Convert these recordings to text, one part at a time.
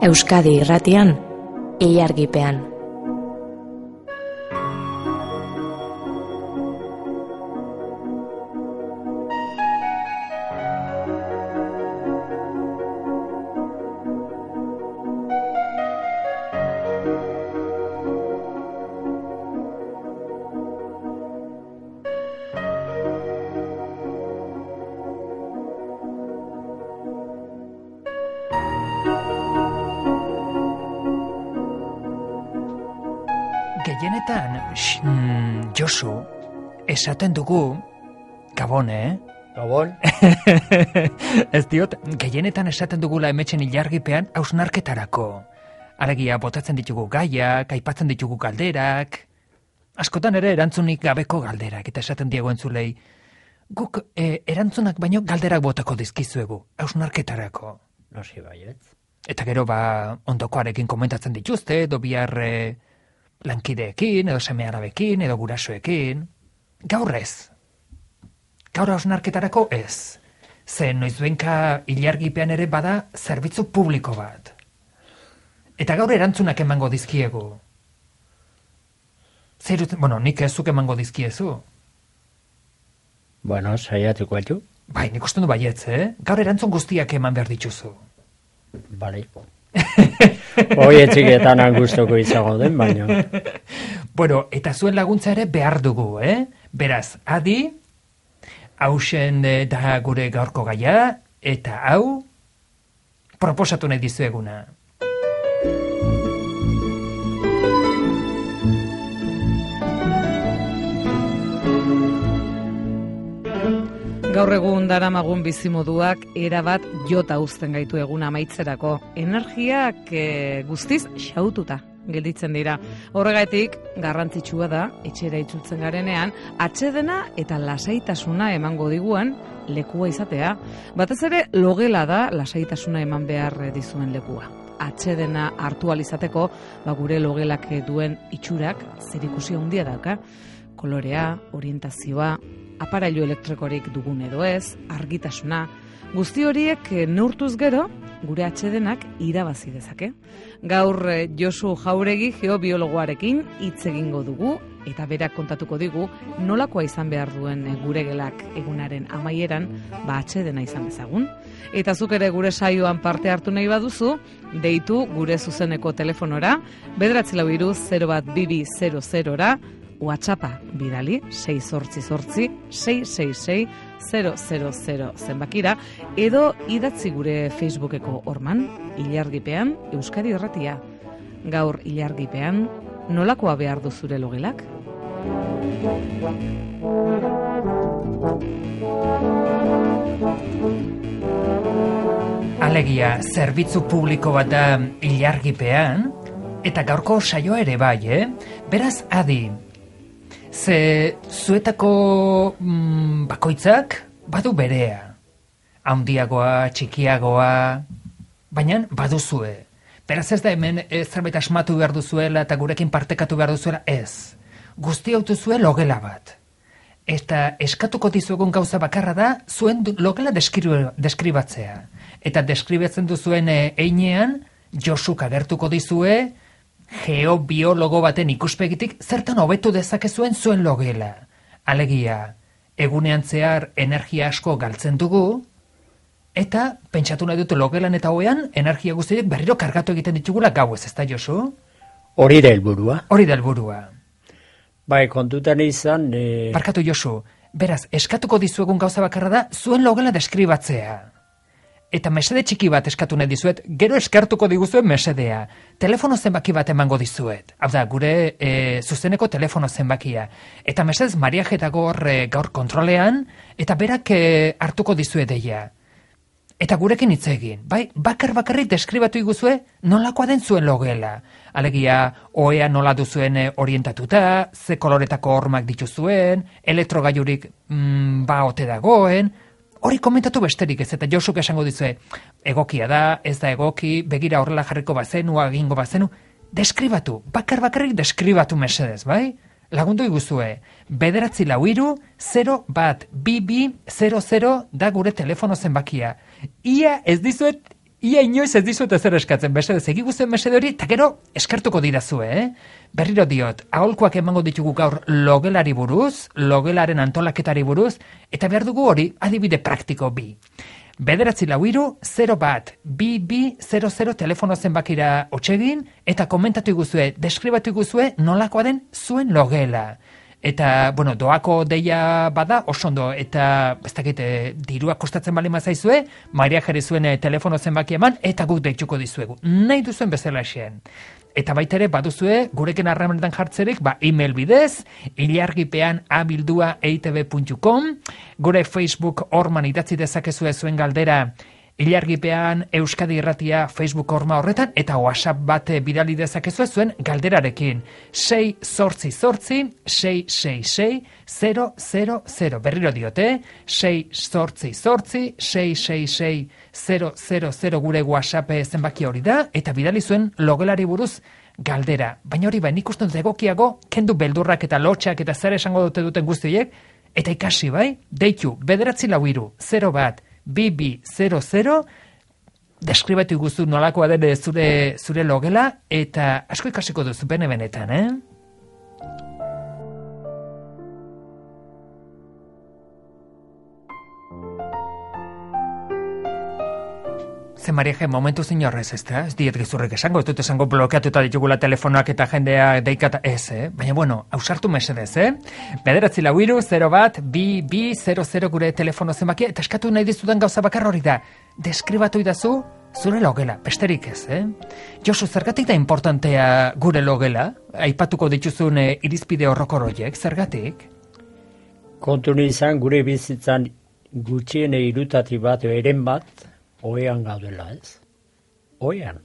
Euskadi Irratian, Ilargipean. Gehienetan, Josu, esaten dugu, Gabon, Gabon? Ez diot, gehienetan esaten dugula emetxen ilargipean hausnarketarako. Alegia, botatzen ditugu gaiak, aipatzen ditugu galderak, askotan ere erantzunik gabeko galderak, eta esaten diego entzulei, guk erantzunak baino galderak botako dizkizuegu, hausnarketarako. Nosi baietz. Eta gero ondokoarekin komentatzen dituzte, edo bihar lankideekin, edo seme-arabekin, edo gurasoekin. Gaur ez. Gaur hausnarketarako ez. Ze noizbenka ilargipean ere bada zerbitzu publiko bat. Eta gaur erantzunak emango dizkiegu. Nik ezuk emango dizkiezu. Bueno, saiatuko baitu. Bai, nik uste du baietz, Gaur erantzun guztiak eman behar dituzu. Bale. Oietxiketan angustoko izago den, baina. Bueno, eta zuen laguntza ere behar dugu, Beraz, adi, hausen da gure gaurko gaia, eta hau, proposatu nahi dizueguna. Gaur egun daramagun bizimoduak erabat jota uzten gaitu egun amaitzerako. Energiak guztiz xaututa gelditzen dira. Horregatik, garrantzitsua da, etxera itzultzen garenean, atsedena eta lasaitasuna emango diguan lekua izatea. Batez ere, logela da lasaitasuna eman behar dizuen lekua. Atsedena hartu alizateko, gure logelak duen itxurak zerikusia handia dauka. Kolorea, orientazioa, aparailu elektrikorik dugun edo ez, argitasuna, guzti horiek neurtuz gero, gure atsedenak irabazi dezake. Gaur Josu Jauregi geobiologoarekin hitz egingo dugu, eta berak kontatuko digu nolakoa izan behar duen gure gelak egunaren amaieran, atsedena izan bezagun. Eta zuk ere gure saioan parte hartu nahi baduzu, deitu gure zuzeneko telefonora, 943-012200-ra, WhatsAppa bidali 688-666-000 zenbakira, edo idatzi gure Facebookeko horman, Ilargipean, Euskadi Irratia. Gaur Ilargipean, nolakoa behar du zure logelak? Alegia, zerbitzu publiko bat da Ilargipean, eta gaurko saioa ere bai, Beraz, adi, ze zuetako bakoitzak badu berea. Handiagoa, txikiagoa, baina baduzue. Beraz ez da hemen zerbait asmatu behar duzuela eta gurekin partekatu behar duzuela, ez. Guzti hautu zuen logela bat. Eta eskatuko dizuegun gauza bakarra da zuen logela deskribatzea. Eta deskribatzen duzuen einean, Josuk agertuko dizue, geobiologo baten ikuspegitik zertan hobetu dezakezuen zuen logela. Alegia, egunean zehar energia asko galtzen dugu, eta pentsatu nahi dut logelan eta hoean energia guztiak berriro kargatu egiten ditugula gauez, ez da, Josu? Hori da helburua. Hori da helburua. Bai, kontutan izan... Barkatu, Josu, beraz, eskatuko dizuegun gauza bakarra da zuen logela deskribatzea. Eta mesede txiki bat eskatu nahi dizuet, gero eskartuko diguzuen mesedea. Telefono zenbaki bat emango dizuet. Hau da, gure zuzeneko telefono zenbakia. Eta mesedez Maria Jetagor gaur kontrolean, eta berak hartuko dizuet deia. Eta gurekin hitz egin, bai, bakarrik deskribatu iguzue nolakoa den zuen logela. Alegia, oea nola duzuen orientatuta, ze koloretako hormak dituzuen, elektrogailurik ote dagoen. Hori komentatu besterik ez, eta Josuk esango dizue, egokia da, ez da egoki, begira horrela jarriko bazenu, agingo bazenu, deskribatu, bakarrik deskribatu mesedez, bai? Lagundu iguzue, 943-012200 da gure telefono zenbakia. Ia ez dizuet ia inoiz ez dizut ezer eskatzen, mesedez, egiguzuen mesede hori, eta gero eskartuko didazue, Berriro diot, aholkuak emango ditugu gaur logelari buruz, logelaren antolaketari buruz, eta behar dugu hori adibide praktiko bi. 9-4-0-1-2-2-0-0 telefono zenbakira otsegin, eta komentatu iguzue, deskribatu iguzue nolakoa den zuen logela. Eta, bueno, doako deia bada, oso ondo, eta, ez dakit, dirua kostatzen bali mazaizue, Maria jarri zuen telefono zenbaki eman, eta guk deituko dizuegu. Nahi duzuen bezala xean. Eta baitere, baduzue, gurekin harremanetan jartzerik, email bidez, ilargipean@eitb.com, gure Facebook orman idatzi dezakezue zuen galdera, Ilargipean Euskadi Irratia Facebook horma horretan, eta WhatsApp bat bidali dezakezue zuen galderarekin. 6-8-6-6-6-000. Berriro diote, 6-8-6-6-6-000 gure WhatsApp zenbaki hori da, eta bidali zuen logelari buruz galdera. Baina hori nik uste dut egokiago, kendu beldurrak eta lotxak eta zer esango duten guztiek, eta ikasi bai, deitu, 9-4-2-2-00, deskribatu guzu nolakoa den zure logela, eta asko ikasiko duzu benetan, Ze Maria, momentu zinorrez, ez diet gezurrik esango, ez dut esango blokeatuta ditugula telefonoak eta jendea deikata, baina bueno, ausartu mesedez, 9-4-0-1-2-2-0-0 gure telefono zenbakia, eta eskatu nahi dizudan gauza bakar hori da, deskribatu idazu zure logela, besterik ez, Josu, zergatik da importantea gure logela, aipatuko dituzun irizpide horrokor horiek, zergatik? Kontu izan gure bizitzan gutxiene irutati bat, eren bat, oean gaudela, ez? Oean.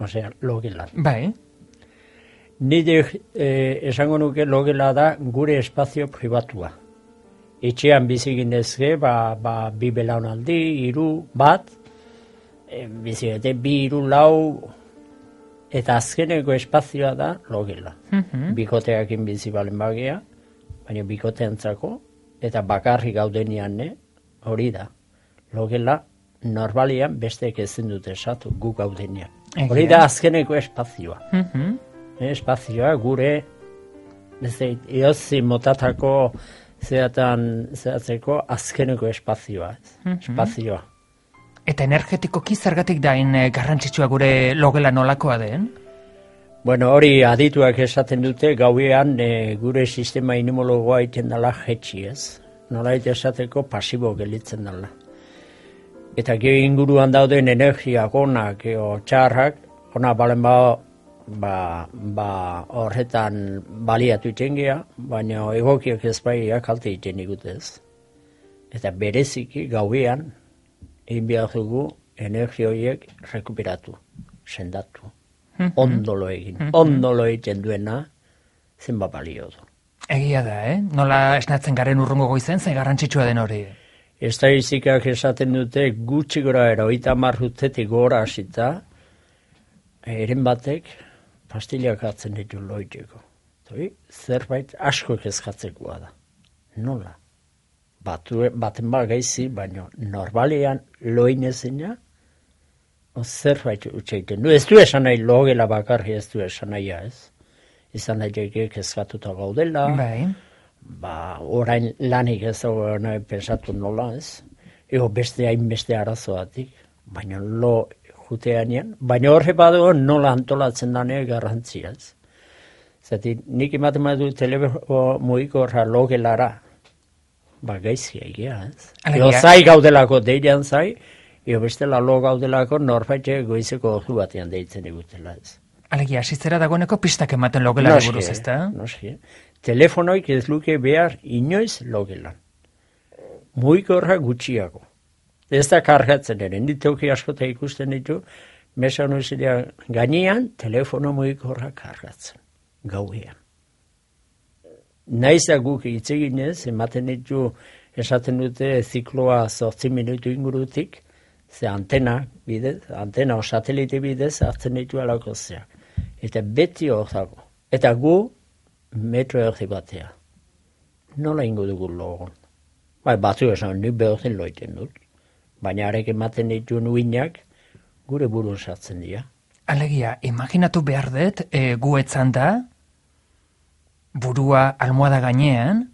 Osea, logelan. Bai. Nire esango nuke logela da gure espazio pribatua. Etxean biziginezke, bi belaunaldi, 3, bat, bizigete 2, 3, 4, eta azkeneko espazioa da logela. Bikoteakin bizi balen bagea, baina bikoteantzako, eta bakarri gaudenian, hori da. Logela, normalian besteek ezin dute esatu gu gaudenean. Hori da azkeneko espazioa. Espazioa gure eozi motatako zehatzeko azkeneko espazioa. Espazioa. Eta energetikoki zergatik dain garrantzitsua gure logela nolakoa den? Bueno, hori adituak esaten dute gauean gure sistema inimologoa iten dela jetxi, ez? Nolait esateko pasibo gelitzen dela. Eta gehi inguruan dauden energiak onak o txarrak, ona balen horretan baliatu itengea, baina egokiak ez baiak kalte iten igutez. Eta bereziki gauean, egin behar dugu energia horiek rekuperatu, sendatu, ondolo egin. Ondolo egiten duena, zenba balio du. Egia da, Nola esnatzen garen urrungo goizen, ze garrantzitsua den hori? Estatistikak esaten dute gutxi gora era 30 urtetik gora hasita, eren batek pastilak hartzen ditu loiteko. Zerbait asko kezkatzekoa da. Nola? Baten gaizi, baina normalean loinezina, zerbait utxeiten du. Ez du esan nahi logela bakarri ez du esan nahia, ez? Izan nahi kezkatuta gaudela, orain lanik ez dago nahi pensatu nola, ez? Ego hainbeste arazoatik, baina lo juteanean, baina horre badu nola antolatzen danean garrantzia, ez? Zati, nik ematen badu telefo mugikorra logelara, gaizkia egia, ez? Ego zai gaudelako deidean zai, ego bestela lo gaudelako norbaite goizeko ordu batean deitzen egutela, ez? Alegia, asitzera dagoeneko pistak ematen logelari buruz, ezta? Noski, telefonoik ez luke behar inoiz logelan. Mugikorra gutxiago. Ez da kargatzen ere, nitoki askota ikusten ditu, mesa honuzidean gainean, telefono mugikorra kargatzen, gauean. Naiz da guk itzeginez, ematen ditu, esaten dute zikloa 8 minutu ingurutik, ze antena o satelite bidez hartzen ditu alako zeak. Eta beti hor dago. Eta gu, metro erdi batea. Nola ingo dugu logon? Batzu esan, nik behorzen loiten dut. Baina arek ematen ditu nuinak, gure buru sartzen dira. Alegia, imaginatu behar dut, gu etzan da, burua almohada gainean,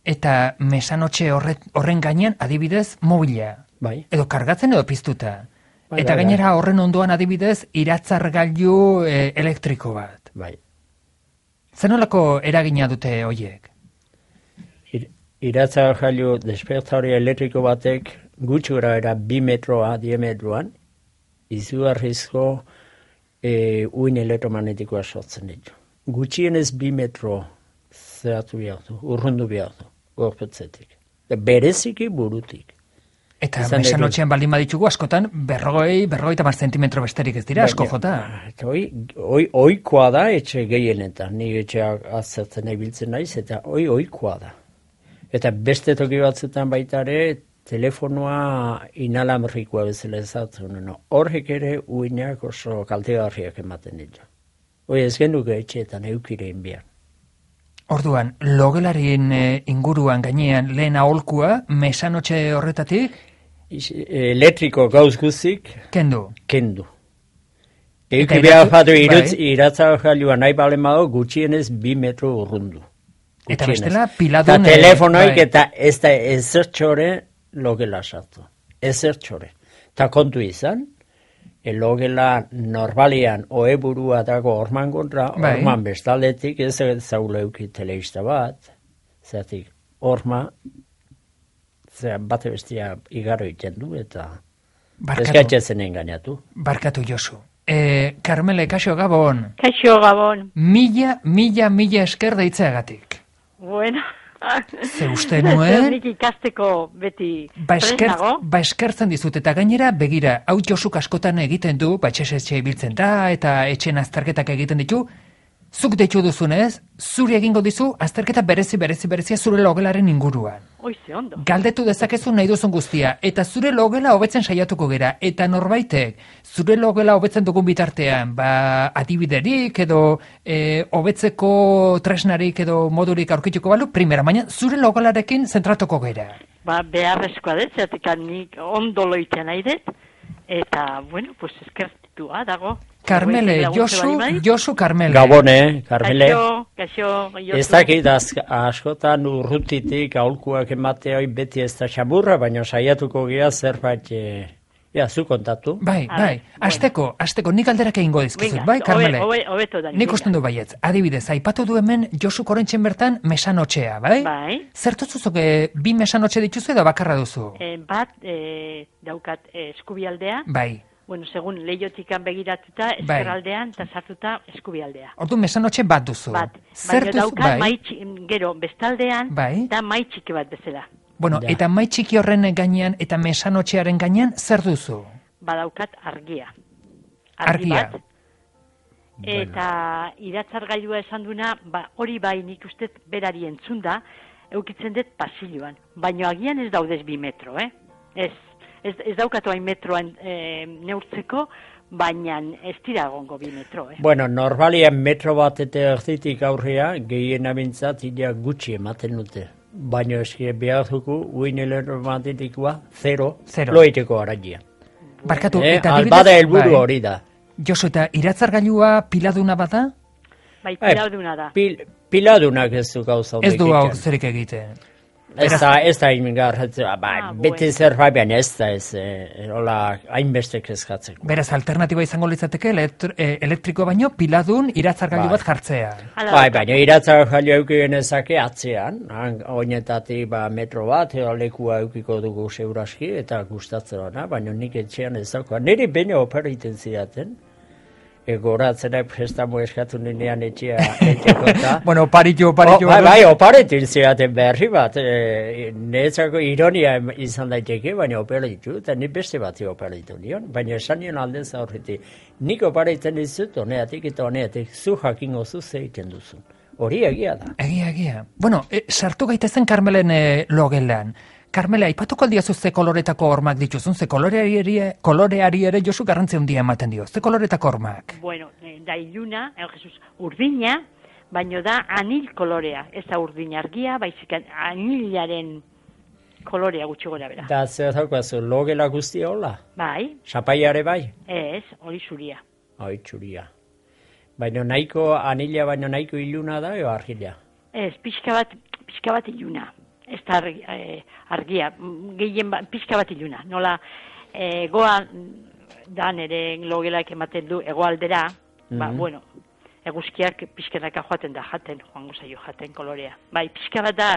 eta mesanotxe horren gainean adibidez mobila. Bai. Edo kargatzen edo piztuta. Bai, Eta bai, gainera horren ondoan adibidez iratzargailu elektriko bat. Bai. Zenolako eragina dute hoiek? Iratzargailu despertadore elektriko batek gutxura era 2 metroa diametroan izugarrizko uin elektromagnetikoa sortzen ditu. Gutxienez 2 metro zeratu behar du, urrundu behar du, gorpetzetik. Bereziki burutik. Eta mesanotxean baldin baditugu askotan 40-50 zentimetro besterik ez dira, asko jota. Oikoa da etxe gehienetan, ni etxeak azertzen ibiltzen naiz, eta oikoa da. Eta beste toki batzutan baita ere, telefonoa inalamrikoa bezala ezatzen. Horrek ere uinak oso kaltegarriak ematen ditu. Ez genuke etxeetan eukirein behar. Orduan, logelarien inguruan gainean lehen aholkua, mesanotxe horretatik? Elektriko gauz guzik, Kendu. Euki behar jatu iratzargailua nahi balen bado gutxienez 2 metro urrundu. Eta bestela piladun... Eta telefonoik eta ez da ezertxore logela sartu. Ezertxore. Eta kontu izan, logela normalian oeburua dago orman kontra, orman bestaldetik ez zaula euki teleista bat, zeratik orma, bate bestia igaro iten du eta eskatzen engainatu. Barkatu Josu. Carmele, kaixo Gabon. Kaixo Gabon. Mila esker deitzeagatik. Bueno. Ze uste nuen... Nik ikasteko beti presnago. Eskertzen dizut, eta gainera, begira, hau Josuk askotan egiten du, etxe ibiltzen da, eta etxen azterketak egiten ditu, zuk deitu duzunez, zuri egingo dizu, azterketa berezia zure logelaren inguruan. Oize, ondo. Galdetu dezakezu nahi duzun guztia, eta zure logela hobetzen saiatuko gera, eta norbaitek, zure logela hobetzen dugun bitartean, adibiderik edo hobetzeko tresnarik edo modurik aurkituko balu, primera, baina zure logelarekin zentratuko gera. Beharrezkoa dut, zeratik nik ondo loitzen nahi dut, eta, bueno, pues eskertua dago. Carmele, Josu Carmele. Gabone, Carmele. Kaixo, Josu. Ez dakit, askotan urrutitik aholkuak ematea beti ez da xamurra, baina saiatuko gira zerbait, zu kontatu. Bai, asteko, nik alderak egingo dizkizut, bai, Carmele? Hobeto da. Nik usten du baietz, adibidez, aipatu du hemen Josu korentxen bertan mesanotxea, bai? Bai. Zertuzuzok 2 mesanotxe dituzu edo bakarra duzu? Bat, daukat eskubialdea. Bai. Bueno, segun lehiotikan begiratuta, eskeraldean, eta sartuta eskubialdea. Ordu mesanotxe bat duzu. Bat. Baina daukat, gero, bestaldean, da mai txiki bat bezala. Bueno, eta mai txiki horren gainean eta mesanotxearen gainean, zer duzu? Badaukat argia. Argia. Bat. Eta iratzargailua esan duna, hori bai nik uste berari entzunda, eukitzen dut pasilloan. Baina agian ez daudez 2 metro, Ez daukatu hain metroan neurtzeko, baina ez dira egongo 2 metro. Bueno, normalian metro bat eta erditik aurrea, gehien abintzat idea gutxi ematen dute. Baina eski behar dugu, uin elektromagnetikoa, 0, loiteko aragia. Barkatu, eta albada helburu hori da. Josu, eta iratzargailua piladuna bada? Bai, piladuna da. Piladunak ez du gauza ez du hau zerik egiten. Ez da ingarratzen, beti zerbait baina ez da hainbestek eskatzeko. Beraz, alternatiba izango litzateke elektriko baino piladun iratzargailu bat jartzea. Baina iratzargailu eukien ezake atzean, oinetatik metro bat, lekua eukiko dugu seuraski eta gustatzen ona, baina nik etxean ez dagoa. Niri baina operiten zidaten. Goratzena prestamo eskatu ninean etxekota. Bueno, oparitu. Bai, oparitu ziaten berri bat. Netzako ironia izan daiteke, baina oparitu, eta ni beste bati oparitu nion. Baina esan nion aldez aurretik. Nik opariten dizut, honeatik eta honeatik, zu jakingo zu zeiten duzun. Hori egia da. Egia. Bueno, sartu gaitezen Carmelen logelan. Carmela, aipatuko aldiazu ze koloretako hormak dituzun, ze koloreari ere Josu garrantzia handia ematen dio. Ze koloretako hormak? Bueno, da iluna, Jesus, urdina, baino da anil kolorea. Ez da urdin argia, baizik anilaren kolorea gutxi gora bera. Da, zer daukazu, logela guztia hola? Bai, Zapaiare bai? ez, hori zuria. Hoi, txuria. Baina nahiko, anila baina nahiko iluna da, eo argila? Ez, pixka bat iluna. Ez da argia, gehien pixka bat iluna. Nola, goa da nire logelak ematen du egoaldera, bueno, eguzkiak pixkanaka joaten da joango zaio jaten kolorea. Bai, pixka bat da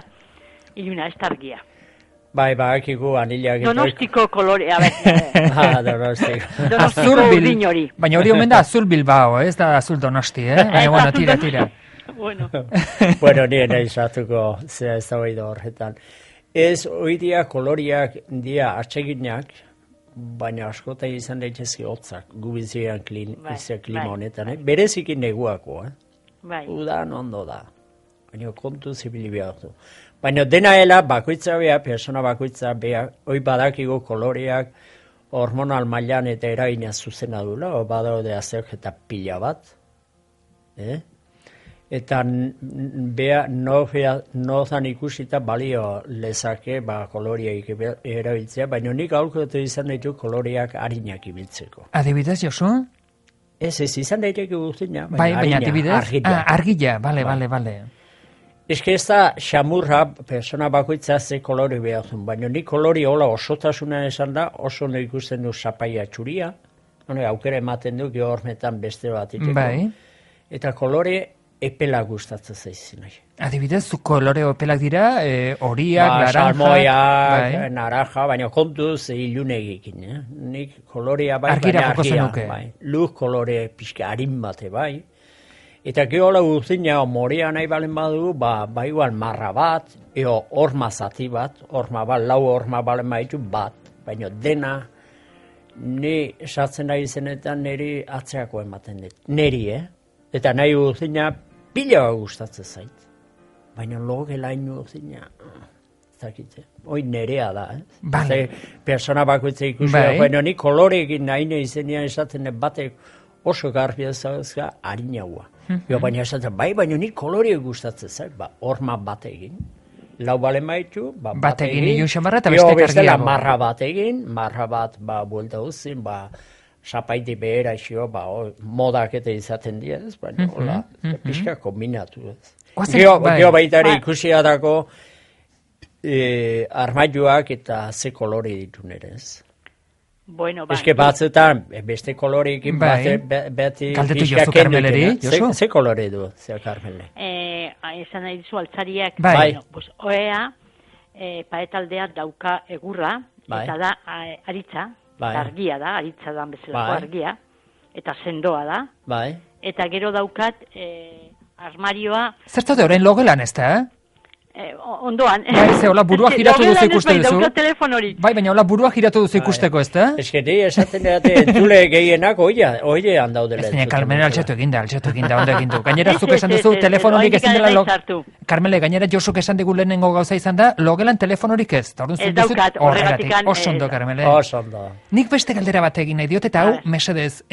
iluna, ez da argia. Bai, akigu anilak... Donostiko kolorea, Donostiko. Donostiko urdin hori. Baina hori omen da azul Bilbao, ez da azul Donosti, Baina, bueno, tira. Bueno, nire nahi zatuko zera ez da horretan. Ez, hoi dia koloriak dia atseginak, baina askota izan daitezke hotzak, gubizian klima honetan, berezikin neguako, Bai. Udan ondo da, baina kontu zibili behar du. Baina denaela bakoitza beha, persona bakoitza beha, hoi badakigu koloreak hormonal mailan eta eragina zuzena dula, o badaude azterketa pila bat, eta beha nozan ikusita balio lezake koloreak erabiltzea, baina nik aurkotu izan ditu koloreak harinak ibiltzeko. Adibidez, Josu? Ez izan daiteke guztina, baina adibidez? Argila, bale. Ez ez da xamurra persona bakoitza ze kolori behar zuen, baina ni kolori hola osotasuna esan da, oso no ikusten du zapaia txuria, aukera ematen du gehormetan beste bat iteko. Bai. Eta kolore epela gustatzen zaizin nahi. Adibidez, zu kolore epelak dira, horiak, naranjak... Salmoiak, naranja, baina kontuz ilunegikin, Nik kolorea bai, baina argia, bai. Luz kolore pixka harin bate bai. Eta gehola guztina, morea nahi balen badu, ba igual marra bat, horma zati bat, lau horma balen baditu bat, baina dena, ni esatzen nahi zenetan niri atzeako ematen dut. Neri, Eta nahi guztina, pila gustatzen zait. Baina logela ino guztina, zakitze. Hoi nerea da, Bai. Persona bakoitza ikusi da, baina ni koloreekin nahi izenean esaten batek oso garbi ezagazka harinaua. Baina esaten, baina ni koloreek gustatzen zait, horma bat egin. Lau balen baitu, bat egin. Ilun xamarra eta bestek argiago. Marra bat egin, marra bat, buelta uzin, zapaiti behera xio, modak eta izaten diaz, baina hola, pixka kombinatu. Geo baitare ikusia dako armailuak eta ze kolore ditu nerez. Bueno, Ez que batzutan, beste koloreekin beti Kaldetu Josu Karmeleri, Josu? Ze kolore du, ze Karmele? Esan nahi dizu altzariak, Bai. Oea, paetaldea dauka egurra, eta da aritza, argia da, aritza da bezalako argia, eta sendoa da, eta gero daukat armarioa... Zertatu orain logelan ez da, Ondoan. Bai, ze, hola, burua giratu duzu ikuste duzu. Bai, baina hola, burua giratu duzu ikusteko, ez da? Ez que esaten dute, entzule gehienak oiean daudela. Ez dira, Carmele altxatu eginda, ondo egin du. Gainera, zuk esan duzu, telefonorik ezin dela Carmele, gainera, Josuk esan digu lehenengo gauza izan da, logelan telefonorik ez. Ez daukat, horregatik. Oso ondo, Carmele. Oso ondo. Nik beste galdera bat egin nahi diot, eta hau, mesedez,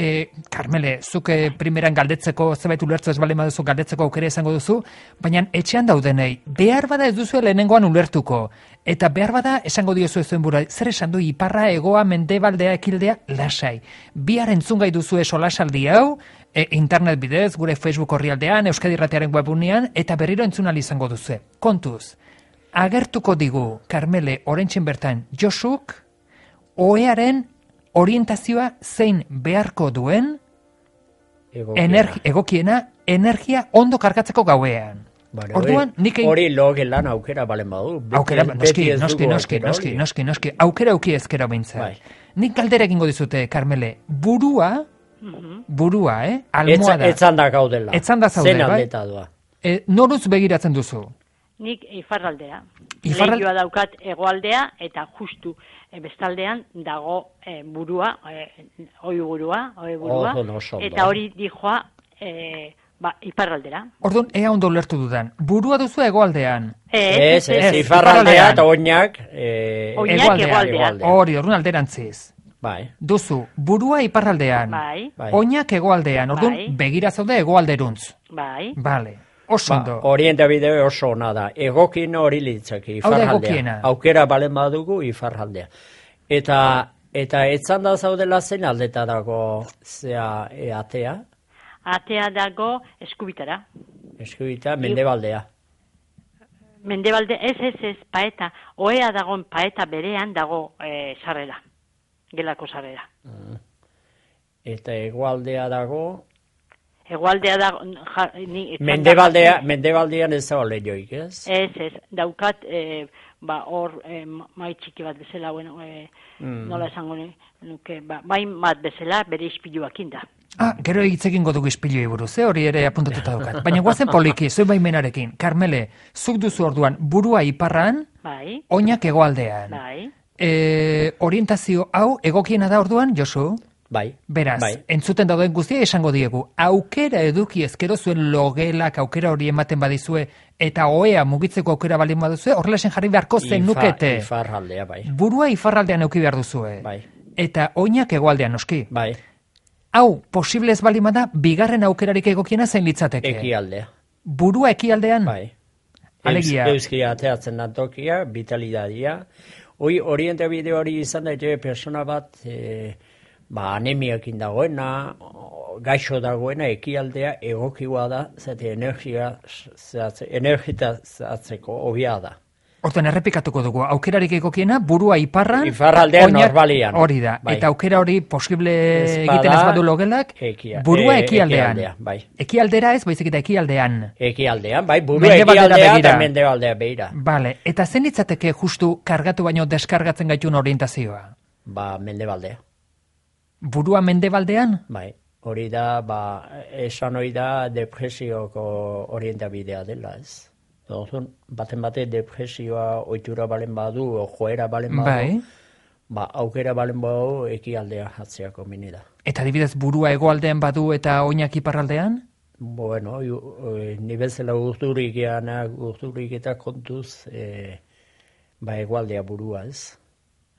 Carmele, zuk primeran galdetzeko, zebait ulertzu ez bale maduzu galdetzeko aukera izango duzu, baina etxean daudenei, behar bada ez duzu lehenengoan ulertuko. Eta behar bada esango diozu ez zuen bura, zer esan du iparra, egoa, mendebaldea, ekildea, lasai. Bihar entzungai duzu eso lasaldi hau, internet bidez, gure Facebook orrialdean, Euskadi Irratiaren webunean, eta berriro entzunal izango duzu. Kontuz, agertuko digu, Carmele, oraintxen bertan, Josuk, oearen orientazioa zein beharko duen, egokiena, energia ondo kargatzeko gauean. Orduan, hori logelan aukera balen badu. Aukera, noski, aukera auki ezkera bintzat. Nik galdera egingo dizute, Carmele, burua, almohada. Etzanda gaudela. Etzanda zaude, zen bai? aldeta doa. Noruz begiratzen duzu? Nik ifarraldera. Lehioa daukat egoaldea, eta justu bestaldean dago burua, oi burua, eta hori dijoa iparraldera. Orduan, ea ondo ulertu dudan. Burua duzu egoaldean? Ez, iparraldea eta oinak egoaldean. Hori, orduan alderantziz. Bai. Duzu, burua iparraldean. Bai. Oinak egoaldean. Orduan, begira zaude egoalderuntz. Bai. Bale. Oso ondo. Orientabide oso ona da. Egokien hori litzake, ifarraldea. Aukera balen badugu, ifarraldea. Eta etzan da zaudela zein aldeta dago atea? Atea dago eskubitara. Eskubita, mendebaldea. Mendebalde, ez, paeta. Oea dagoen paeta berean dago sarrera. Gelako sarrera. Eta hegoaldea dago... Hegoaldea dago... Mendebaldean ez dago lehioik, ez? Ez, daukat, hor, mai txiki bat bezala, bueno, nola esango nuke, bain bat bezala bere ispiluakin da. Gero egitzekin godugu ispilui buruz, hori ere apuntatuta daukat. Baina guazen poliki, zuen baimenarekin. Carmele, zuk duzu orduan burua iparran, oinak hegoaldean. Orientazio hau egokiena da orduan, Josu? Bai. Beraz, entzuten dauden guztia esango diegu. Aukera eduki ezkero zuen logelak aukera hori ematen badizue eta oea mugitzeko aukera balin baduzue, horrelasen jarri beharko zen nukete. Ifarraldea, bai. Burua ifarraldean euki behar duzue. Bai. Eta oinak hegoaldean noski. Bai. Hau, posible ez balima da, bigarren aukerarik egokiena zein litzateke. Ekialdea. Burua ekialdean? Bai. Alegia. Euskia ateatzen da tokia, vitalidadia. Orientabide hori izan daite persona bat... anemiakin dagoena, gaixo dagoena, ekialdea egokiua da, zate energizatzeko hobia da. Horten errepikatuko dugu, aukerarik egokiena, burua iparran, ifarraldean normalian. Hori da, eta aukera hori posible egiten ez badu logelak, burua ekialdean. Ekialdera ez, baizik eta ekialdean. Ekialdean, bai, burua ekialdea eta mendebaldea begira. Bale, eta zen litzateke justu kargatu baino deskargatzen gaitun orientazioa? Mendebaldea. Burua mendebaldean? Bai, hori da, esan hori da depresioko orientabidea dela, ez? Baten bate depresioa oitura balen badu, joera balen badu, aukera balen badu ekialdea jatzeako mini da. Eta adibidez burua hegoaldean badu eta oinak iparraldean? Bueno, ni bezala urturik eta kontuz, hegoaldea burua, ez?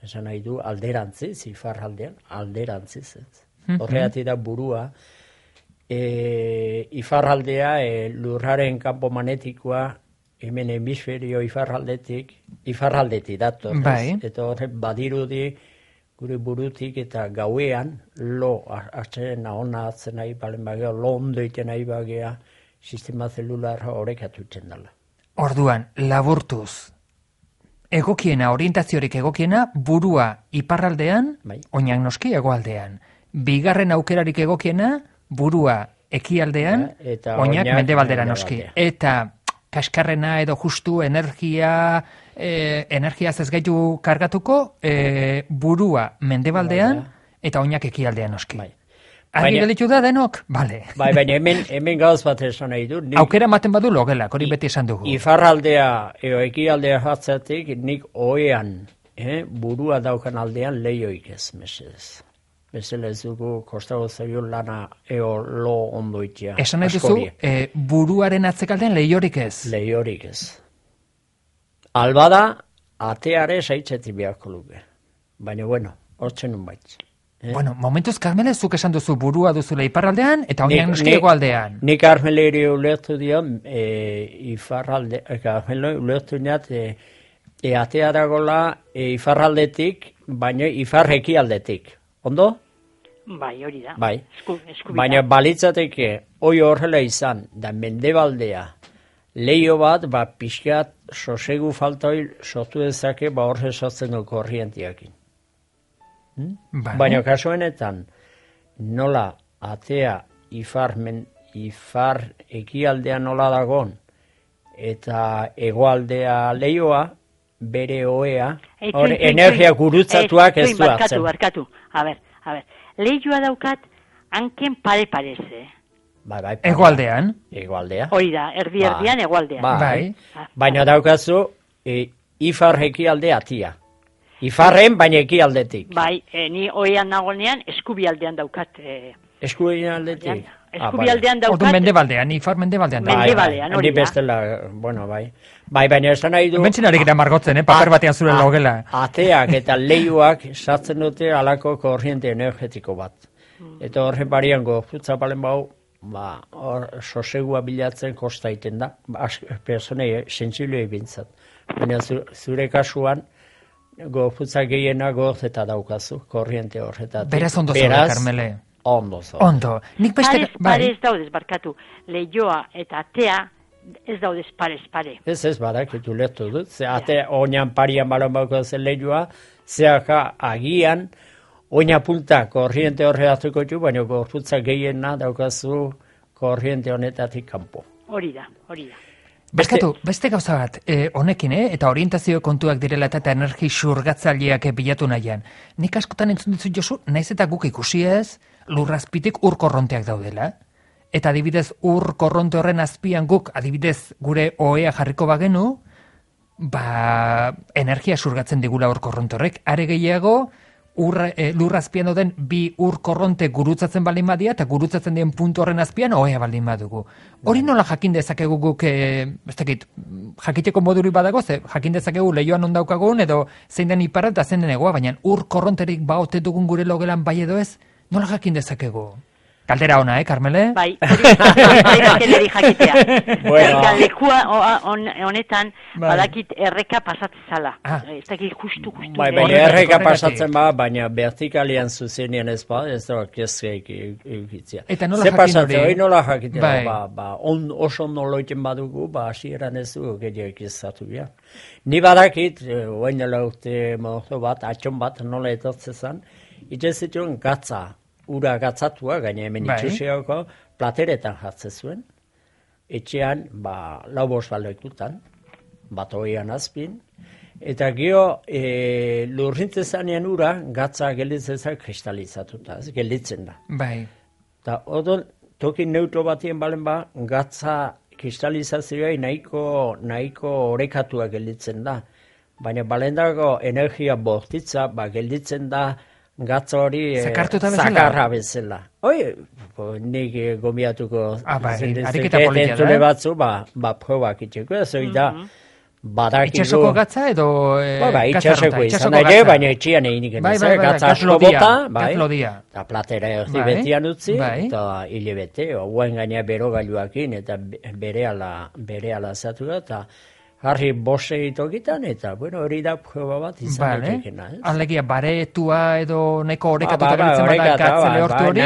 Esan nahi du, alderantziz, ifarraldean, alderantziz, ez. Horregatik da burua, ifarraldea, lurraren kanpo magnetikoa, hemen hemisferio ifarraldetik dator, ez. Eta horrek badirudi, gure burutik eta gauean, lo hartzen ahona hartzen nahi, balen bagea, lo ondo iten nahi bagea, sistema zelularra horrek atutzen dela. Orduan, laburtuz, egokiena, orientaziorik egokiena, burua iparraldean, oinak noski hegoaldean. Bigarren aukerarik egokiena, burua ekialdean, oinak mendebaldera noski. Eta kaskarrena edo justu energiaz ez gaitu kargatuko, burua mendebaldean, eta oinak ekialdean noski. Argi gelitu da denok? Bale. Baina hemen gauz bat esan nahi du. Aukera ematen badu logelak, hori beti esan dugu. Ifarraldea, ekialdea jatzatik, nik oean, burua daukan aldean lehioik ez, mesedez. Bezala ez dugu kostago zaio lana lo ondo itia. Esan nahi duzu, buruaren atzekaldean lehiorik ez? Lehiorik ez. Albada, ateare saitzetik beharko luke. Baina, bueno, hortzen nun baitz. Bueno, momentuz, Carmele, zuk esan duzu burua duzula iparraldean, eta oinak noski hegoaldean. Nik Carmeleri ulertu dion, Carmele ulertu diat, atea dagoela ifarraldetik, baina ifarreki aldetik. Ondo? Bai, hori da. Bai. Baina balitzateke, hoi horrela izan, da mendebaldea, leio bat, pixkat, sosegu faltoi, sortu dezake, horre sortzen du korrientiakin. Baina kasuenetan nola atea ifar ekialdea nola dagon eta hegoaldea leioa bere oea energia gurutzatuak ez du hartzen. Barkatu. A ber. Leioa daukat hanken pare-parez, Hegoaldean? Hegoaldea. Hori da, erdi-erdian hegoaldean. Bai. Baina daukazu ifar ekialdea atia. Ifarren, baina ekialdetik. Bai, ni oean nagonean eskubialdean daukat. Eskubialdetik? Eskubialdean daukat. Ordu mendebaldean, ifar mendebaldean. Mendebaldean, hori da. Ni bestela, bueno, bai. Bai, baina esan nahi du... Bentsinarik da margotzen, paper batean zure logela. Ateak eta leioak sartzen dute alako korriente energetiko bat. Eta horren barian gozutza balen bau, hor sosegua bilatzen kosta egiten da, personei sentsiblei bintzat. Baina zure kasuan, gorputza gehiena gorz eta daukazu, korriente horretatik. Beraz ondo zaude, Karmele. Ondo zaude. Ondo. Nik beste... Parez daudez, barkatu. Leioa eta atea ez daudez parez. Ez, badakitu letu dut. Ze ate oinan parian balon bauko zen leioa, zeaka agian, oina punta korriente horretatuko du, baina gorputza gehiena daukazu korriente honetatik kanpo. Hori da. Beste gauza bat, honekin, eta orientazio kontuak direla eta energi xurgatzaileak bilatu nahian. Nik askotan entzun ditut Josu, naiz eta guk ikusi ez, lurrazpitik ur korronteak daudela. Eta adibidez, ur korronte horren azpian guk, adibidez, gure ohea jarriko bagenu, energia xurgatzen digula ur korronte horrek. Are gehiago, lurrazpian doden bi ur korronte gurutzatzen baldin badia eta gurutzatzen dien puntu horren azpian ohea baldin badugu. Hori nola jakin dezakegu guk, ez dakit, jakiteko moduri badago, ze jakin dezakegu lehioan ondaukagun edo zein den ipara eta zein den egoa, baina ur korronterik baote dugun gure logelan bai edo ez, nola jakin dezakegu? Kaldera ona, Karmele? Bai, hori jakitea. Bueno. Lekua honetan badakit erreka pasatzen zala. Ez dakit justu. Baina erreka pasatzen baina vertikalian zuzenean ez da kezkeik eukitzia. Eta nola jakin hori? Hori nola jakitea, oso noloiten badugu, hasieran ez dugu gehiak izatu bia. Ni badakit, oain dela urte mozo bat, atxon bat, nola etortzezan, itxezituen gatza, ura gatzatua, gaina hemen itxusiako, plateretan jartzen zuen, etxean, lau bost balekutan, bat hoian azpin, eta gero lurrintzezanean ura, gatza gelditzen kristalizatuta, gelditzen da. Bai. Eta odon, toki neutro batien balen gatza kristalizazioa nahiko orekatua gelditzen da. Baina balendako energia bortitza, gelditzen da, gatza hori zakarra bezala. Nik gomiatuko entzule batzu, probak itxeko, ez hori da, badakigu... Itxasoko gatza edo itxasoko izan ere, baina etxian egin genizak, gatza asko bota, eta platera erdi betian utzi, eta hile bete, ouen gaina berogailuakin, eta bere ala zatu da, eta harri bose itokitan, eta hori da proba bat izan etekena. Alegia, baretua edo nahiko orekatuta beritzen bada gatzele hortu hori?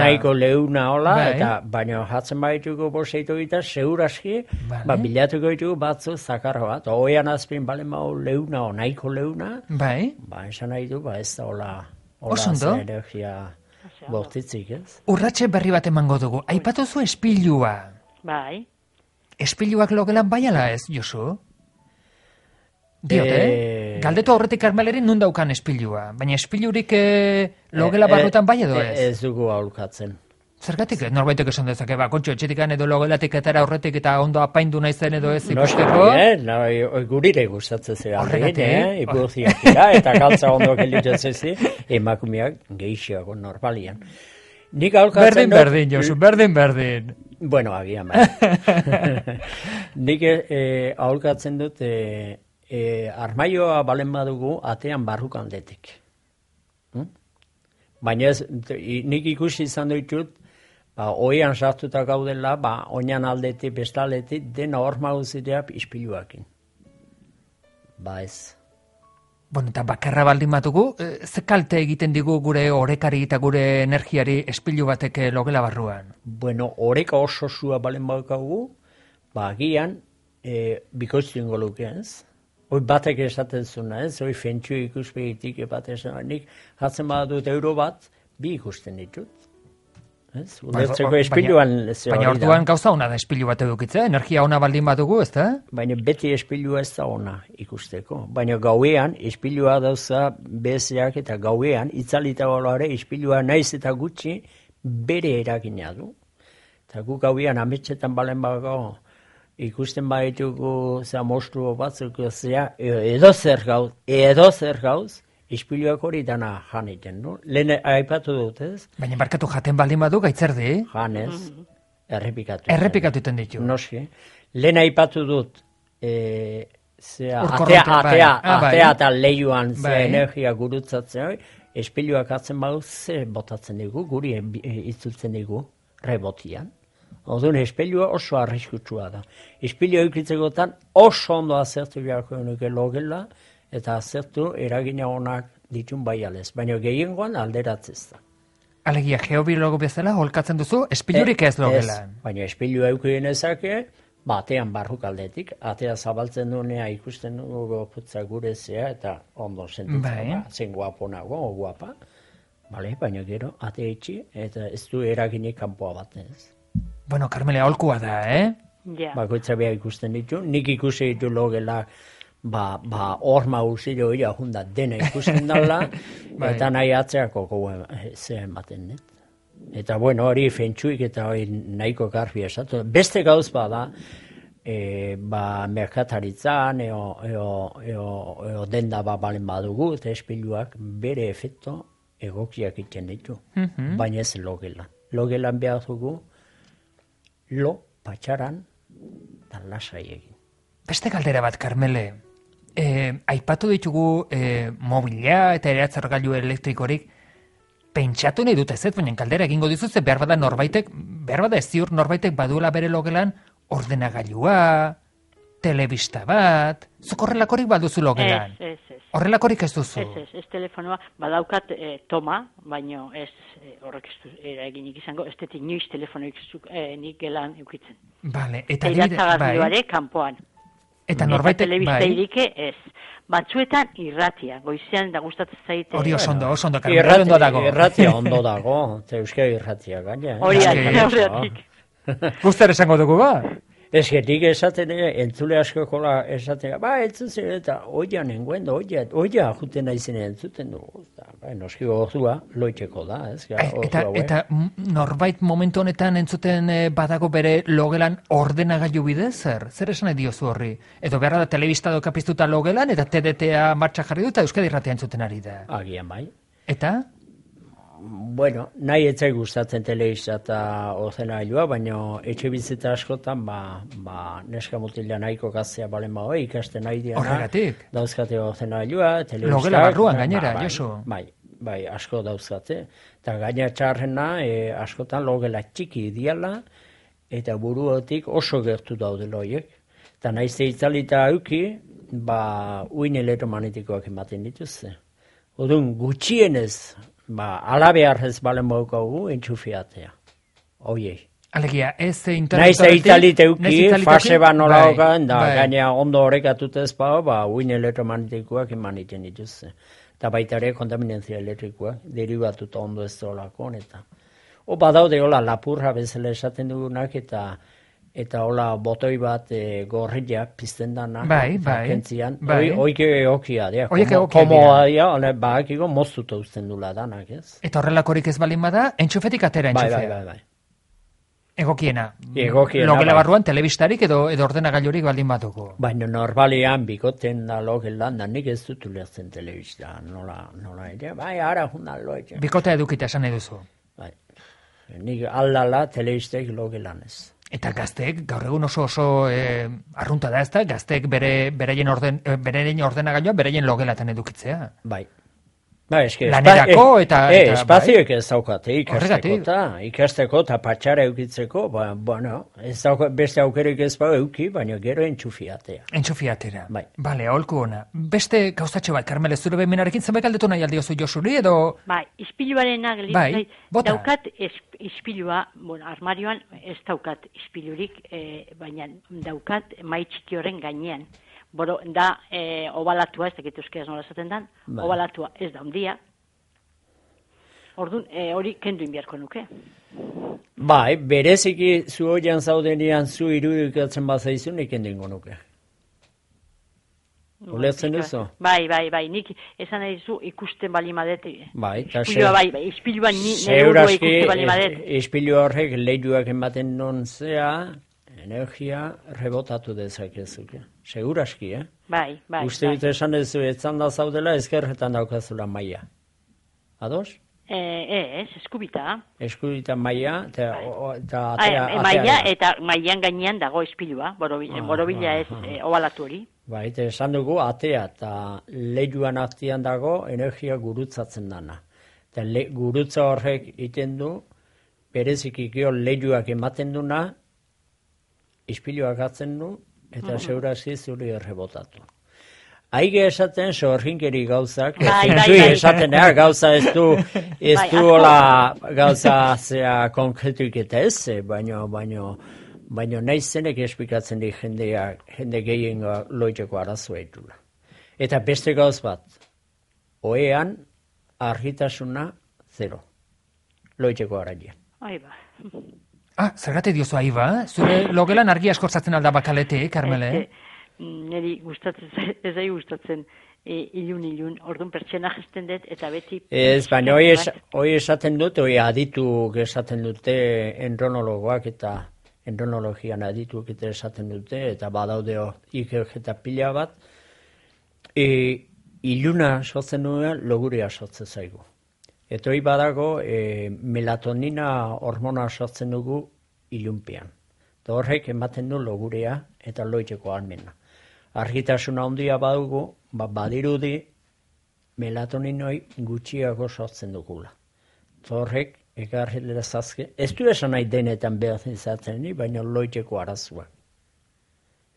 Nahiko leuna hola, baina jatzen badituko bose itokitan, seguraski, bilatuko ditugu batzu zakarra bat, oean azpin balen mau leuna o nahiko leuna, esan nahi du, ez da hola energia bortitzik, ez? Urratxe berri bat emango dugu, aipatuzu espilua. Bai. Espiluak logelan bai ala ez, Josu? Diote, galdetu aurretik Karmelerin nun daukan espilua, baina espilurik logela barrutan bai edo ez? Ez dugu aholkatzen. Zergatik, norbaitek esan dezake, kontxo, etxetikan edo logelatik etara aurretik eta ondo apaindu nahizen edo ez ikusteko? Gurire gustatzen zera. Horregatik? Ipurziak dira, eta galtza ondo gelditzen zi, emakumeak geixiago normalian. Berdin, Josu, berdin. Bueno, agian, bai. Nik aholkatzen dut, armaioa balen badugu atean barrukan detik. Baina nik ikusi izan ditut, oian sartuta gaudela, oinan aldetik, bestaletik, dena hor maguzitea ispiluakin. Ez. Bueno, eta bakarra baldin batugu, ze kalte egiten digu gure orekari eta gure energiari espilu batek logela barruan? Bueno, oreka oso zua balen baukagu, agian, bikoiztuen goluke, ez? Hoi batek esaten zuna, ez? Hoi fentsu ikuspegitik bat esan, nik jatzen badut euro bat, bi ikusten ditut. Ulertzeko espiluan baina orduan gauza ona da espilu bat edukitzea, energia ona baldin badugu, ez da? Baina beti espilua ez da ona ikusteko. Baina gauean, espilua dauza bezeak eta gauean, itzalita baloare, espilua naiz eta gutxi bere eragina du. Eta gu gauean ametxetan balen bago ikusten baditugu mostru batzuk edo zer gauz, ispiluak hori dana jan egiten, no? Lehen aipatu dut, ez? Baina barkatu jaten baldin badu gaitzerdi? Janez, errepikatu. Errepikatu iten ditu. Noski. Lehen aipatu dut, atea eta lehiuan energia gurutzatzen hori, ispiluak atzen badu ze botatzen digu, guri itzultzen digu, rebotian. Orduan, espilua oso arriskutsua da. Espilua eukitzekotan oso ondo azertu beharko nuke logela, eta azertu eragina onak ditun bai alez. Baina gehiengoan alderatzez da. Alegia, geobiologo bezala holkatzen duzu, espilurik ez logelan. Baina espilua eukien ezake, batean barruk aldetik, atea zabaltzen duenea ikusten dugu putza gure zea, eta ondo sentitzen, zen guapo nago, guapa. Baina gero, atea itxi, eta ez du eraginik kanpoa bat ez. Bueno, Carmele, aholkua da, Ja. Bakoitza behar ikusten ditu, nik ikusi ditu logela, horma usilo ia junda dena ikusten dala, eta nahi atzeako zehen baten, net? Eta bueno, hori fentsuik eta hori nahiko garbi esatu. Beste gauz bada, merkataritzan, eo denda balen badugu, eta espiluak bere efekto egokiak iten ditu. Baina ez logelan. Logelan behar dugu, patxaran, eta lasai egin. Beste galdera bat, Carmele. Aipatu ditugu mobila eta eratzargailu elektrikorik, pentsatu nahi dut ez, baina kaldera egingo dizuz, behar bada ez ziur norbaitek baduela bere logelan ordenagailua, telebista bat, zuk horrelakorik baduzu logelan? Ez. Horrelakorik ez duzu? Ez telefonoa, badaukat toma, baina ez horrek ez du eginik izango, ez dut inoiz telefonoik nik gelan eukitzen. Vale, eta iratzagailuare kanpoan. Eta norbaitek, telebista irike ez. Batzuetan irratia, goizean da gustatzen zaite. Hori oso ondo, ondo dago. Irratia ondo dago, eta euskal irratia gaina. Horreatik. Guztar esango dugu ba? Ez getik esaten, entzule askokola esaten, entzuzen eta oia nengoen, oia juten naizene entzuten dugu. Noski gozua, loiteko da. Eta norbait momentu honetan entzuten badago bere logelan ordenagailu bidez, zer esan nahi diozu horri? Edo beharra da telebista doka piztuta logelan, eta TDTA martxa jarri du, eta Euskadi Irratia entzuten ari da. Agian bai. Eta? Bueno, nahi etzai gustatzen telebista eta ordenailua, baina etxe bizita askotan, neska mutila nahiko gaztea balen bago, ikasten nahi diana. Horregatik? Dauzkate ordenailua, telebistak. Logela barruan gainera, Josu. Bai, asko dauzkate. Eta gaina txarrena, askotan logela txiki diala, eta buruotik oso gertu daude loiek. Eta naizte itzalita auki, uin elektromagnetikoak ematen dituzte. Odun, gutxienez, alabearrez balen baukagu entxufiatea. Oiei. Alegia, ez Naiz italit euki, fase nola hokan, da gaina ondo horrekatut ez uin elektromagnetikoak eman iten dituzte. Eta baita ere kontaminantzia elektrikoak, derivatuta ondo ez dolako, eta. Badaude hola lapurra bezala esaten dugunak, eta hola botoi bat gorrilla pizten dana. Kentzian. Oike egokia, komoa dia, bakiko moztuta uzten dula danak, ez? Eta horrelakorik ez balin bada, entxufetik atera entxufea. Bai. Egokiena. Logela barruan telebistarik edo ordenagailurik baldin batuko. Baina normalean bikoten da logelan da nik ez dut ulertzen telebista. Nola ere? Ara jundan loetxe. Bikotea edukita esan nahi duzu. Bai. Nik aldala telebistek logelan ez. Eta gazteek, gaur egun oso arrunta da ezta, gazteek beraien ordenagailua beraien logelatan edukitzea. Bai. Lanerako eta espazioek ez daukate ikasteko eta patxara eukitzeko, beste aukerik ez euki, baina gero entxufiatea. Entxufiatera. Bai. Bale, aholku ona. Beste gauzatxo bat, Carmele, zure bemenarekin zenbait galdetu nahi aldiozu Josuri edo? Bai, ispiluarena daukat ispilua, armarioan ez daukat ispilurik, baina daukat mai txiki horren gainean. Da obalatua, ez dakit euskaraz nola esaten dan, obalatua ez da ondia. Orduan, hori kenduin beharko nuke. Bai, bereziki zu hoian zaudenean zu irudikatzen bazaizu nik kenduingo nuke. Ulertzen duzu? Bai, nik esan nahi zu ikusten balimadet. Ispilua nire urua ikusten balimadet. Ispilua horrek leiduak ematen non zea, energia rebotatu dezakezuke. Seguraski, Bai. Uste dut esan duzu, etzan da zaudela ezkerretan daukazula maia. Ados? Ez, eskubita. Eskubita maia, eta maia, eta maian gainean dago ispilua, borobila ez obalatu hori. Bai, eta esan dugu, atea eta leiluan artean dago energia gurutzatzen dana. Eta gurutza horrek iten du, bereziki gio leiluak ematen duna, ispiluak atzen du, eta segurazki zuri errebotatu. Aige esaten sorginkeri gauzak, jensui esaten gauza ez du hola gauza zea konkretuik eta ez, baino nahi zenek esplikatzen di jende gehien loiteko arazoa itula. Eta beste gauz bat, oean argitasuna zero, loiteko araia. Zergatik diozu aiba? Zure logelan argi askortzatzen alda bakaletik, Karmele? Neri ez da gustatzen ilun, orduan pertsona jesten dut, eta beti... Ez, baina hoi esaten dut, hoi adituk esaten dute endronologoak eta endronologian adituk eta esaten dute, eta badaudeo ikerketa pila bat, iluna sortzen duean logurea sortzen zaigu. Eta hoi badago melatonina hormona sortzen dugu ilunpean. Eta horrek ematen du logurea eta loiteko almena. Argitasuna handia badugu, badirudi melatoninoi gutxiago sortzen dugula. Eta horrek ekarri lezazke, ez du esan nahi denetan behar izaten ni, baina loiteko arazoa.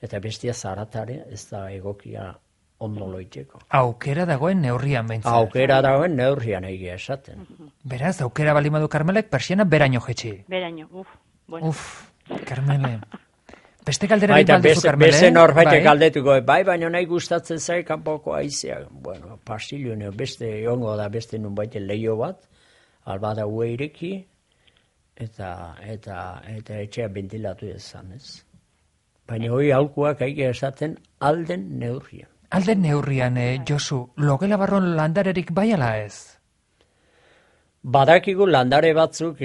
Eta bestia zaratare ez da egokia ondo loiteko. Aukera dagoen neurrian behintzat. Aukera dagoen neurrian egia esaten. Beraz, aukera balimadu Karmelek, persiana beraino jetxi. Beraino, bueno. Karmele. Beste galderari balduzu, Karmele? Beste norbaitek galdetuko, baina nahi gustatzen zai kanpoko aizea. Bueno, pasillo beste ongo da beste nun baite leio bat, albada ueireki, eta etxea bentilatu ezan, ez? Baina hori aulkuak aige esaten alden neurrian. Alden neurrian, Josu, logela barron landarerik bai ala ez? Badakigu landare batzuk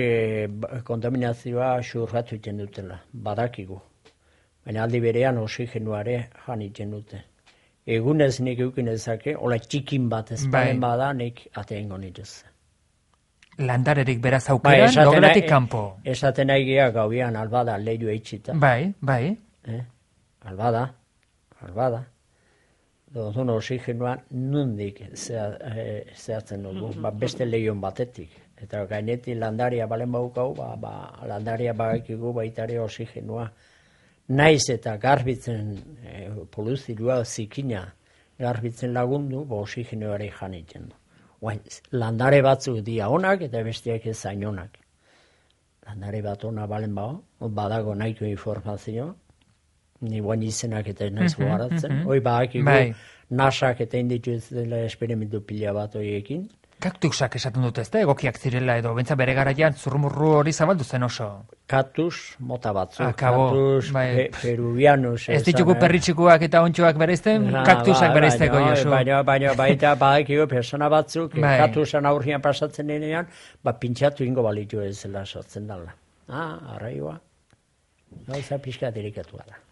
kontaminazioa xurratu iten dutela, badakigu. Baina aldi berean oxigenuare jan iten dute. Egunez nik eukin ezake, hola txikin bat ez bada nik ateengo nituz. Landarerik beraz aukeran, logelatik kanpo. Esaten aigia gauian albada leilu eitxita. Bai. Albada. Dozun oxigenua nundik zehatzen dugu, beste lehion batetik. Eta gainetik landaria balen baukau, landaria bagakigu baitare oxigenua. Naiz eta garbitzen poluzilua zikina garbitzen lagundu, oxigenuari janitzen du. Landare batzuk dia onak eta besteak ez zain onak. Landare bat ona balen badago nahiko informazio, ni guain izenak eta naiz goaratzen. Hoi badakigu nasak eta indituzela esperimentu pila bat horiekin. Kaktusak esaten dut ez da, egokiak zirela edo, bentsa bere garaian zurrumurru hori zabaldu zen oso. Kaktus mota batzuk, kaktus peruvianus. Ez ditugu perritxikuak eta ontsuak bereizten, kaktusak bereizteko, Josu. Baina baita badakigu persona batzuk, kaktusan aurrian pasatzen denean, pintxatu ingo balitu ez zela sortzen dala. Arraioa, gauza pixka dirikatu da.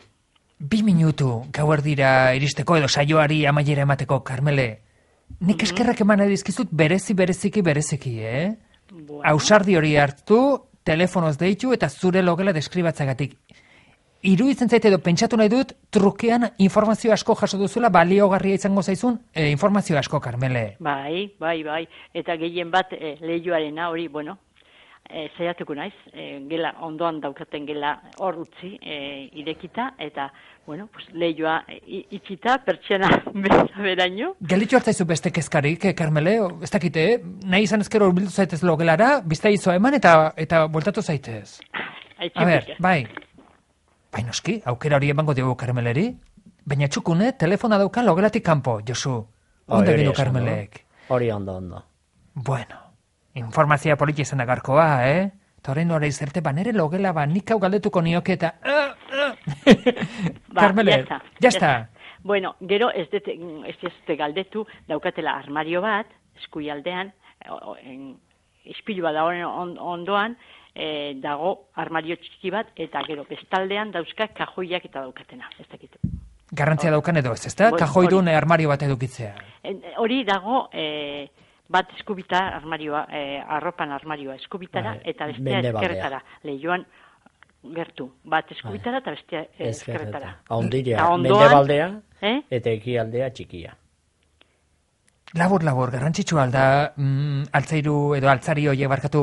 2 minutu gauerdira iristeko edo saioari amaiera emateko, Karmele. Nik eskerrak eman edizkizut bereziki, Ausardi hori hartu, telefonoz deitu eta zure logela deskribatzagatik. Iruditzen zaite edo pentsatu nahi dut, trukean informazio asko jaso duzula, baliogarria izango zaizun informazio asko, Karmele. Bai. Eta gehien bat lehioarena hori, zaiatuko naiz, gela ondoan daukaten gela hor utzi irekita, eta lehioa itxita, pertsiana beraino. Gelditu hartzaizu beste kezkarik, Karmele, ez dakite, nahi izan ezkero urbildu zaitez logelara, bizta izoa eman eta bueltatu zaitez. A ber, bai noski, aukera hori emango diogu Karmeleri, baina txukune, telefona dauka logelatik kanpo, Josu. Ondo egin du Karmelek. Hori ondo. Bueno. Informazioa politia izan da garkoa, Eta horrein hori zerte, nere logela nik hau galdetuko nioke eta... Karmele, jazta. Bueno, gero ez dute galdetu, daukatela armario bat, eskuialdean, ispilua da ondoan, dago armario txiki bat, eta gero bestaldean dauzka kajoiak eta daukatena, ez dakitu. Garrantzia daukan edo ez, ezta? Kajoidun armario bat edukitzea. Hori dago... bat eskubita armarioa, arropan armarioa eskubitara, eta bestea eskerretara. Lehioan gertu. Bat eskubitara eta bestea eskerretara. Ahondira, mendebaldea eta ekialdea txikia. Labur, garrantzitsua alda altzairu edo altzari horiek barkatu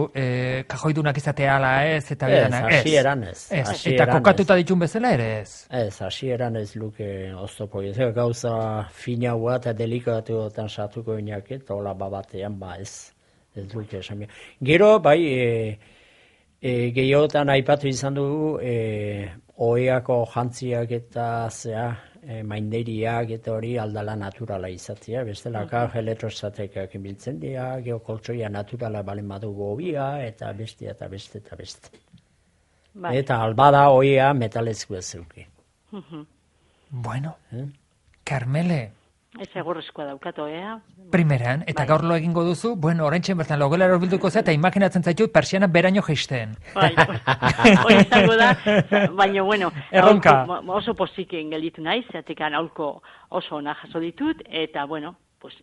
kajoidunak izatea ala ez, eta bidanak. Hasieran ez. Eta kokatuta ditun bezala ere ez. Ez, hasieran ez luke oztopo. Ez gauza finaua eta delikatuetan sartuko inak, eta hola batean ez luke esan. Gero, bai, gehiotan aipatu izan dugu, oeako jantziak eta mainderiak eta hori aldala naturala izatzea, bestelaka elektrostatekak biltzen dira, geokoltsoia naturala balen badugu hobia, eta beste. Bai. Eta albada oia metalezko ez zeuki. Bueno, Karmele, Ez egorrezkoa daukat, primeran, eta gaur lo egingo duzu, bueno, oraintxe bertan logelara horbilduko zea, eta imaginatzen zaitut persiana beraino jeisten. Bai, hori izango da, baina, bueno, Erronka. Oso poziken gelditu naiz, zatekan aholko oso ona jaso ditut, eta, bueno, pues,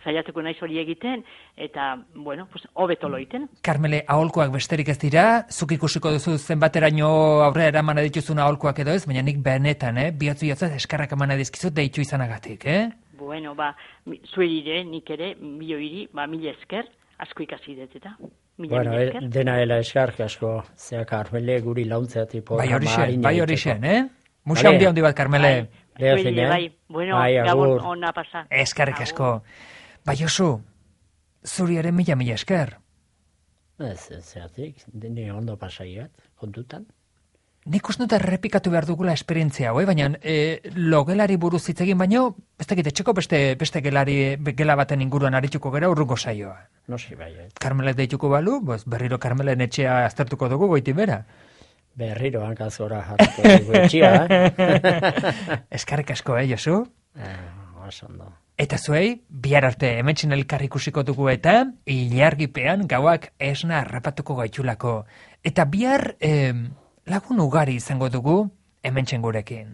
zaiatuko naiz hori egiten, eta, bueno, pues, hobeto loiten. Karmele, aholkoak besterik ez dira, zuk ikusiko duzu zenbateraino aurrera eramana dituzun aholkoak edo ez, baina nik benetan, bihotzu eskarrak emana dizkizut deitu izanagatik, Bueno, zuerire, nik ere, milioiri, mila esker, asko ikasi dut eta. Bueno, dena dela eskark asko, zea Karmele guri launtzea tipo. Bai hori zen, Musa handi bat, Karmele. Bai, bueno, gabon ona pasa. Eskarrik asko. Bai, Josu, zuri ere mila esker. Ez, zeatik, dene ondo pasaiat, kontutan. Nik uste dut errepikatu behar dugula esperientzia hau, baina logelari buruz hitz egin baino, ez dakit etxeko beste gela baten inguruan arituko gera urrungo saioa. Noski bai. Karmelek deituko balu, berriro Karmelen etxea aztertuko dugu goiti bera. Berriro hankazora jarriko dugu etxea, Eskarrik asko, Josu? Oso. Eta zuei, bihar arte hementxen elkar ikusiko dugu eta ilargipean gauak esna harrapatuko gaitulako. Eta bihar lagun ugari izango dugu hementxen gurekin.